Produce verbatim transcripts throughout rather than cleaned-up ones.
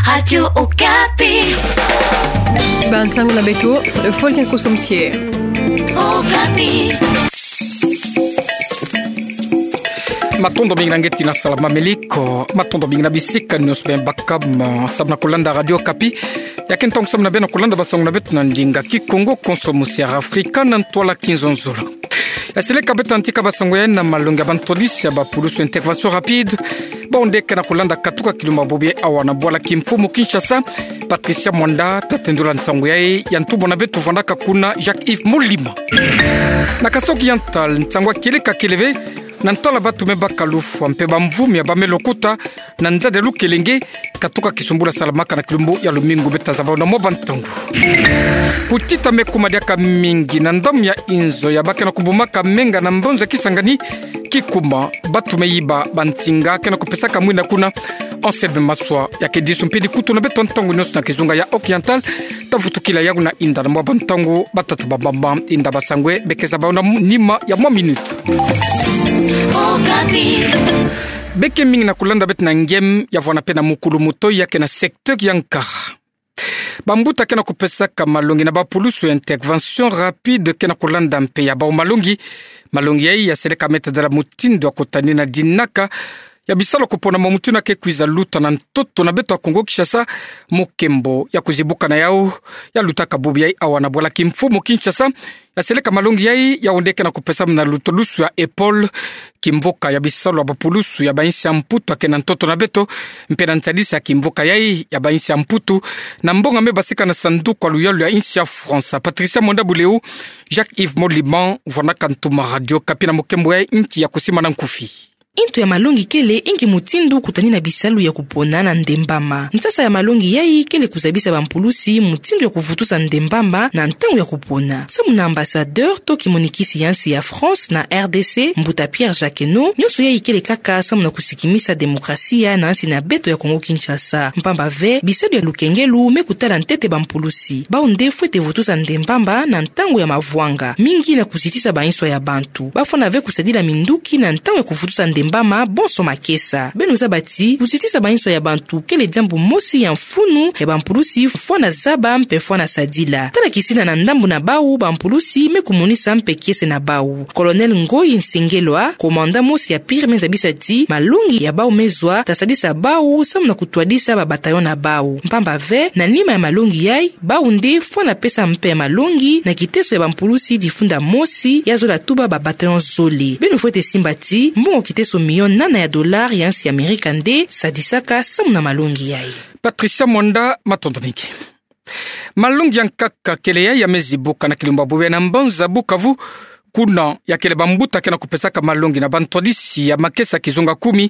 Radio Okapi. Ba ntangu na beto, fo kian ko somsie. Okapi. Matondo mingi na ngeti na sala mameliko, matondo mingi na bisika nyonso bem bakama, samu na kulanda Radio Okapi. Ya ke ntangu samu na beno kulanda basango na beto na ndinga Kikongo, konso musiara Afrika na ntwala kinzonzolo. Ya seleka beto na ntika basango ya na malongi ya bantwadisi ya bapulusu, intervention rapide. Bawu nde ke na kulanda katuka kilumbu ya bobo awa na bwala kimfumu Kinshasa. Patricia Mwanda ta tendula nsangu yayi, ya ntumwa na beto vandaka kuna Jacques-Yves Molima. Na Kasaï Oriental, nsangu ya kieleka kele ve, na ntwala batu me baka lufwa mpe bamvumi ya ba me lokota na nzadi ya Lukelenge, katuka kisumbula salamaka na kilumbu ya lumingu beta zaba na mwa bantangu. Kutita me kuma diaka mingi na ndambu ya inzo ya ba ke na kubumaka menga na mbanza Kisangani, kikuma batu me yiba bansinga ke na kupesaka mwina kuna. Anselme Maswa ya ke disu mpe dikutu na beto ntangu nyonso na kizunga ya Oriental, ta vutukila yawu na inda na mwa bantangu, batata bamama, inda basangu, be ke zaba na nima ya mwa minute. Okapi. Be ke mingi na kulanda beto na ngem ya vwana mpe na mukulu mutoyi ya ke na secteur ya nkara. Bambuta ke na kupesaka malongi na bapulusu, intervention rapide, ke na kulanda mpe ya bawu malongi. Malongi yayi ya seleka me tadala mutindu ya kutanina dinaka ya bisalu ya kupona, mwa mutindu ya ke kwiza luta na ntoto na beto ya Kongo Kinshasa, mukembo ya kuzibuka na yawu. Ya lutaka bobo yayi awa na bwala kimfumu Kinshasa, ya seleka malongi yayi, yawu nde ke na kupesama na lutadusu ya EPOL, kimvuka ya bisalu ya bapulusu ya ba insi ya Mputu ya ke na ntoto na beto, mpe na nsadisi ya kimvuka yayi ya ba insi ya Mputu, na mbonga me basika na sanduku ya luyalu ya insi ya France. Patricia Mwanda Buleu, Jacques-Yves Molima, vwanaka ntuma Radio Okapi na mukembo yayi, nki ya kusimana nkufi. Ntu ya malongi kele inki mutindu kutanina bisalu ya kupona na ndembama. Nsasa ya malongi yayi kele kuzabisa bampulusi mutindu ya kuvutusa ndembama na ntangu ya kupona. Samu na ambassadeur to kimonikisi ya nsi ya France na R D C, mbuta Pierre Jacquenot, nyonso yayi kele kaka samu na kusikimisa demokrasia na nsi na beto ya Kongo Kinshasa. Mpamba ve, bisalu ya lukengelu me kutala ntete bampulusi. Bawu nde fwete vutusa ndembama na ntangu ya mavwanga, mingi na kuzitisa bainso ya bantu. Bafwana ve kusadila minduki na ntangu ya kuvutusa ndembama bonso makesa. Beno zaba ti kuzitisa bainso ya bantu kele diambu mosi ya mfunu ya bampulusi fwana zaba mpe fwana sadila. Tala kisina na ndambu na bawu bampulusi me kumonisa mpe kiese na bawu. Colonel Ngoyi Nsengelwa, commandant mosi ya pire, me zabisa ti malongi ya bawu me zwa ta sadisa bawu samu na kutwadisa ba bataillon na bawu. Mpamba ve, na nima ya malongi yayi, bawu nde fwana pesa mpe malongi na kiteso ya bampulusi difunda mosi ya zola tuba ba bataillon zole. Beno fwete simba ti mbongo kiteso million nana ya dollar ya nsi ya Amerika nde sadisaka samu na malongi yayi. Patricia Mwanda, matondo mingi. Malongi ya nkaka kele yayi ya me zibuka na kilumbu ya bobo yayi na mbanza Bukavu, kuna ya kele bambuta ke na kupesaka malongi na bantwadisi ya makesa kizunga kumi.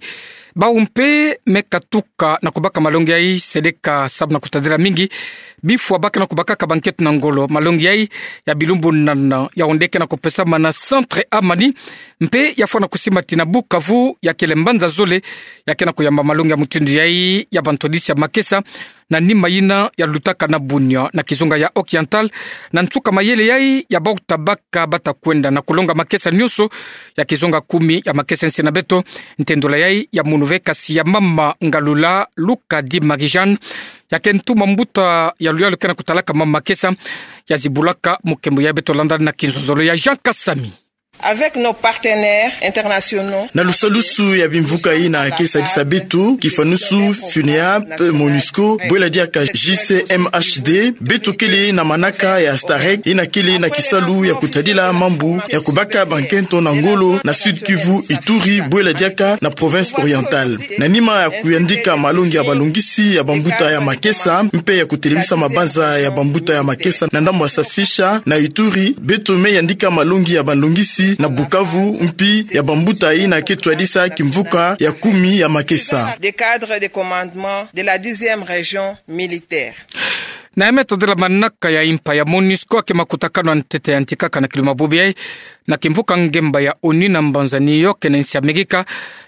Bawu mpe me katuka na kubaka malongi yayi, seleka samu na kutadila mingi bifwa ba ke na kubakaka bankento na ngolo. Malongi yayi ya bilumbu nana, yawu nde ke na kupesama na Centre Amani, mpe ya fwana kusima ti na Bukavu ya kele mbanza zole ya ke na kuyamba malongi ya mutindu yayi ya bantwadisi ya makesa, na nima yina ya lutaka na Bunia na kizunga ya Oriental, na nsuka mayele yayi ya bawu ta baka bata kwenda na kulonga makesa nyonso ya kizunga kumi ya makesa ya nsi na beto. Ntendula yayi ya munu ve kasi ya mama Ngalula Luka di Marie-Jeanne, ya ke ntuma mbuta ya luyalu ke na kutalaka mama makesa, ya zibulaka mukembo ya beto landa na kinzonzolo ya Jean Kasami. Avec nos partenaires internationaux. Na lusalusu ya bimvuka yina ke sadisa beto, kifanusu, FUNEAP, MONUSCO, bwela diaka J C M H D, beto kele na manaka ya STAREC, yina kele na kisalu ya kutadila mambu ya kubaka bankento na ngolo na Sud-Kivu, Ituri, bwela diaka na province orientale. Na nima ya kuyandika malongi ya balongisi ya bambuta ya makesa, mpe ya kutelemisa mabanza ya bambuta ya makesa na ndambu ya Safisha na Ituri, beto me yandika malongi ya balongisi na Bukavu, mpi ya bambuta yina ke twadisa kimvuka ya kumi ya makesa. Des cadres de commandement de la dixième région militaire. Na ya me tadila manaka ya impa ya MONUSCO ya ke makutakanu ya ntete yantikaka na kilumbu ya bobo yayi, na kimvuka ngemba ya ONU na mbanza New York na insi Amerika,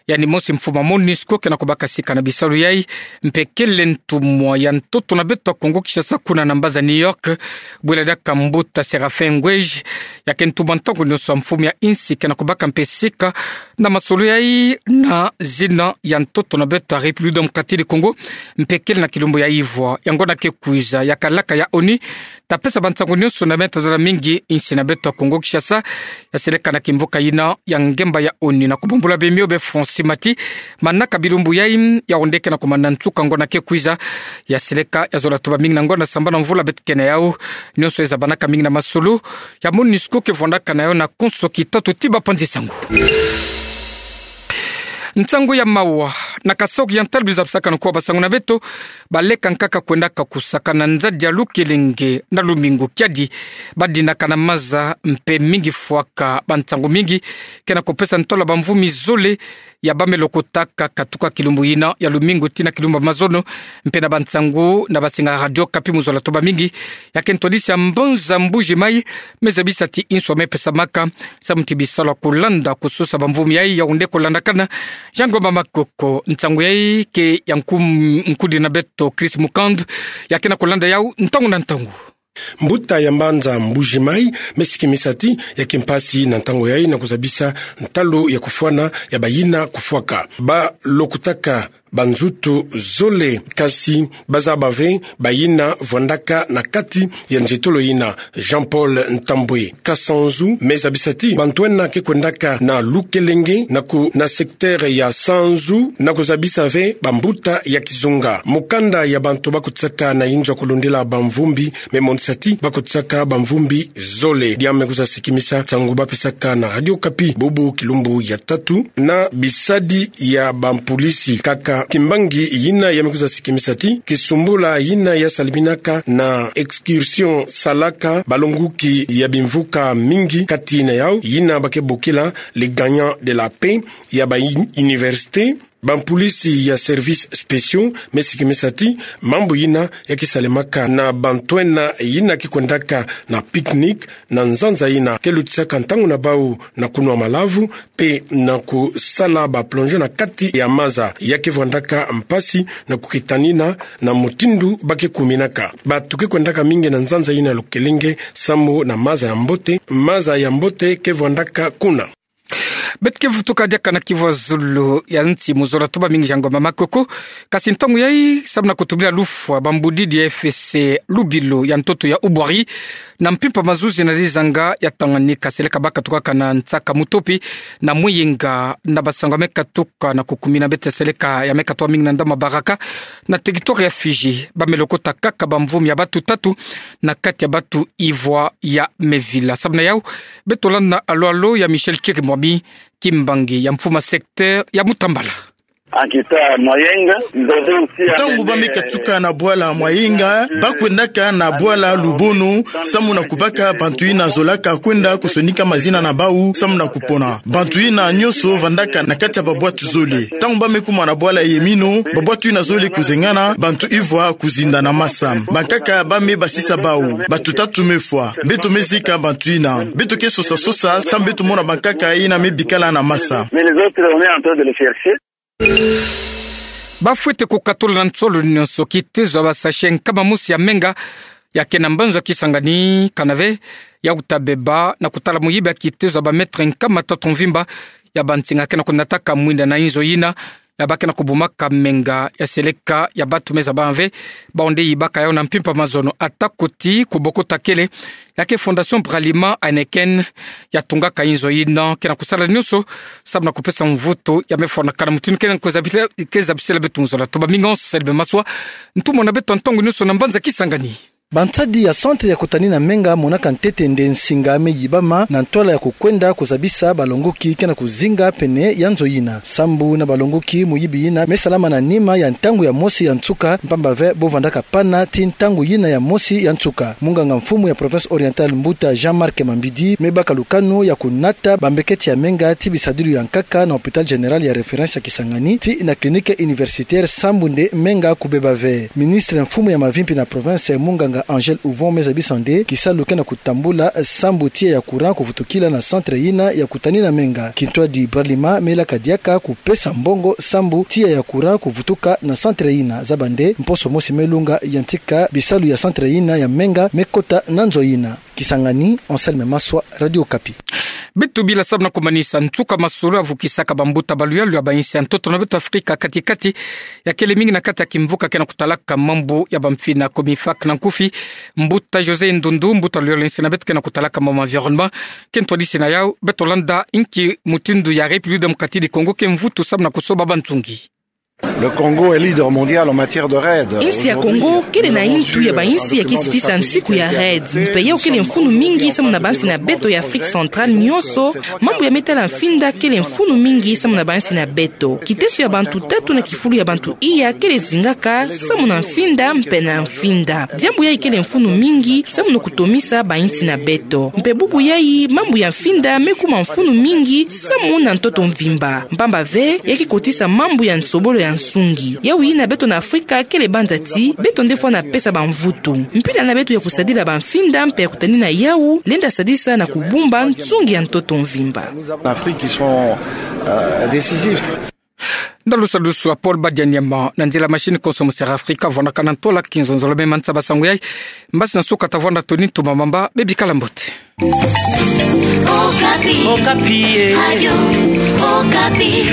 yaani mosi mfumu ya MONUSCO ke na kubaka sika na bisalu yai, mpe kele ntumwa ya ntoto na beto ya Kongo Kinshasa kuna na mbanza New York, bwela diaka mbuta Séraphin Ngoueje, ya ke ntumwa ntangu nyonso ya mfumu ya insi ke na kubaka mpe sika na masolo yai na zina ya ntoto na beto ya République Démocratique du Congo, mpe kele na kilumbu ya ivwa ya ngonda ke kwiza ya kalaka ya ONU, ta pesa bansangu nyonso na me tadala mingi insi na beto ya Kongo Kinshasa, ya seleka na kimvuka yina ya ngemba ya ONU. Na kubambula bemio be Francis Mati, manaka bilumbu yai, ya onde ke na kumana nsuka ngonda ke kwiza, ya seleka ya zola tuba mingi na ngonda sambanu mvula beto ke na yau, nyonso ezabanaka mingi na masolo ya MONUSCO ke vwandaka na yo na konso kitatu ti bapanzi sango. Nsangu ya mawa, na Kasaï Oriental biza bisaka na kuwa basangu na beto, baleka nkaka kwendaka kusaka na nzadi ya Lukelenge na lumingu kiadi, badinaka na maza mpe mingi fwaka bansangu mingi ke na kupesa ntwala bamvumi zole ya ba me lokotaka katuka kilumbu yina ya lumingu tii na kilumbu ya mazono, mpe na bansangu na basinga Radio Okapi mu zola tuba mingi, ya ke ntwadisi ya mbanza Mbuji-Mayi, me zabisa ti nswa me pesamaka, samu ti bisalu ya kulanda kusosa bamvumi yai ya onde kulandakana. Jean Ngoma Makoko, nsangu yai ke ya nkum-, nkudi na beto Chris Mukand, ya ke na kulanda yau ntangu na ntangu. Mbuta ya mbanza Mbuji-Mayi me sikimisa ti ya ke mpasi na ntangu yai na kuzabisa ntalu ya kufwana ya bayina kufwaka. Ba lokotaka banzutu zole, kasi bazaba ve bayina vwandaka na kati ya nzietolo yina. Jean-Paul Ntambwe Kasanzu me zabisa ti bantu ena ke kwendaka na Lukelenge na ku-, na secteur ya Sanzu na kuzabisa ve bambuta ya kizunga. Mukanda ya bantu ba kutisaka na inzo ya kulundila bamvumbi me monisa ti ba kutisaka bamvumbi zole. Dia me kuza sikimisa nsangu ba pesaka na Radio Okapi bubu kilumbu ya tatu na bisadi ya bampolisi. Kaka kimbangi yina ya me kuza sikimisa ti kisumbula yina ya saliminaka na excursion salaka balonguki ya bimvuka mingi, kati na yau yina ba ke bokila les gagnants de la paix, ya ba in-, université, bampolisi ya services spéciaux. Me sikimisa ti mambu yina ya ke salemaka na bantu ena yina ke kwendaka na pique-nique na nzanza yina ke lutisaka ntangu na bau na kunwa malavu mpe na kusala ba plongée na kati ya maza, ya ke vwandaka mpasi na kukitanina na mutindu ba ke kuminaka. Batu ke kwendaka mingi na nzanza yina Lukelenge samu na maza ya mbote, maza ya mbote ke vwandaka kuna. Beto ke vutuka diaka na kivwa zulu ya nsi mu zola tuba mingi Jean Ngoma Makoko. Kasi ntangu yai, samu na kutubila lufwa bambudidi ya F S C Lubilo ya ntoto ya Ubwari, na mpimpa mazuzi na dizanga ya Tanganyika, seleka ba katukaka na nsaka mutopi na mwienga, na basangu ya me katuka na kukumina beto seleka ya me katuka mingi na ndama baraka na territoire ya Fidji, ba me lokota kaka bamvumi ya batu tatu na kati ya batu ivwa ya Mevila. Samu na yau, beto landa alo-alo ya Michel Tchiri Mwami, kimbangi ya mfumu ya secteur ya Mutambala. Ntangu ba me katuka na bwala Mwayenga, ba kwendaka na bwala Lubono, samu na kubaka bantu yina zolaka kwenda kusonika mazina na bau, samu na kupona. Bantu yina nyonso vandaka na kati ya babwatu zole. Ntangu ba me kuma na bwala Yemino, babwatu yina zole kuzengana, bantu ivwa kuzinda na masa. Bankaka ba me basisa bau, bantu tatu me fwa. Beto me zika bantu yina. Beto ke sosa-sosa, samu beto mona bankaka yina me bikala na masa. Ba fwete kukatula na nsolo nyonso kitezo ya ba sachet nkama mosi ya menga ya ke na mbanzo ya Kisangani, kana ve ya uta beba na kutala muyibi ya kitezo ya ba mètre nkama tatu mvimba ya bansinga ke na kunataka mwinda na inzo yina ya ba ke na kubumaka menga ya seleka ya batu me zaba ve ba onde yibaka yau na mpimpa mazono. Ata kuti kubokota kele ya ke Fondation Bralima Heineken ya tungaka inzo yina, ke na kusala nyonso samu na kupesa mvutu ya me fwanakana mutindu ke na kuzabisela, ke zabisela beto nzola. Tuba mingi Anselme Maswa, ntumwa na beto ntangu nyonso na mbanza Kisangani. Bansadi ya centre ya kutanina menga monaka ntete nde nsinga me yibama na ntwala ya kukwenda kuzabisa balongoki ke na kuzinga pene ya nzo yina. Sambu na balongoki, muyibi yina me salama na nima ya ntangu ya mosi ya nsuka, mpamba ve bo vandaka pana ti ntangu yina ya mosi ya nsuka. Munganga mfumu ya province orientale, mbuta Jean-Marc Mambidi, me baka lukanu ya kunata bambeketi ya menga ti bisadilu ya nkaka na hôpital général ya référence ya Kisangani, ti na clinique universitaire, sambu nde menga kubeba ve. Ministre mfumu ya mavimpi na province, munganga Angèle Houvon me zabisa nde kisalu ke na kutambula sambu tiya ya courant kuvutukila na centre yina ya kutani na Menga. Kintwadi Bralima me ilaka diaka kupesa mbongo sambu tiya ya courant kuvutuka na centre yina. Zaba nde mposo mosi me lunga ya ntika bisalu ya centre yina ya Menga me kota na nzo yina. Kisangani, Anselme Maswa, Radio Okapi. Beto bila sabu na kumanisa nsuka masolo avukisaka bambuta baluyalu ya bayinsi ya ntoto na beto Afrika kati-kati, ya kele mingi na kati ya kimvuka ke na kutalaka mambu ya bamfina Comifac na nkufi. Mbuta José Ndundu, mbuta luyalu ya insi na beto ke na kutalaka mambu environnement, ke ntwadisi na yau. Beto landa inki mutindu ya République Démocratique du Congo ke mvutu sabu na kusoba bansungi. Le Congo est leader mondial en matière de REDD. Insi ya Congo kele na intu ya bayinsi ya kisitisa nsiku ya REDD. Mpe yau kele mfunu mingi samu na bansi na beto ya Afrique centrale nyonso. Mambu ya me tala mfinda kele mfunu mingi samu na bansi na beto. Kiteso ya bantu tatu na kifulu ya bantu iya kele zingaka samu na mfinda mpe na mfinda. Diambu yayi kele mfunu mingi samu na kutomisa bayinsi na beto. Mpe bubu yayi mambu ya mfinda me kuma mfunu mingi samu na ntoto mvimba. Mpamba ve, ya ke kotisa mambu ya nsobolo ya nsungi. Yau yina beto na Afrika kele banza ti beto nde fwana pesa bamvutu. Mpila na beto ya kusadila bamfinda mpe ya kutani na yau lenda sadisa na kubumba nsungi ya ntoto mvimba. L'Afrique qui sont, euh, décisifs. Ndalusalusu a Paul Badianyama, na nzila machine konso mosera Afrika, vwanakana ntola kinzonzolo me mansa ba sango yayi. Mbasi na nsuka tavwanda Tony Ntumamamba, bebikala mbote. Okapi. Okapi, eh. Radio Okapi.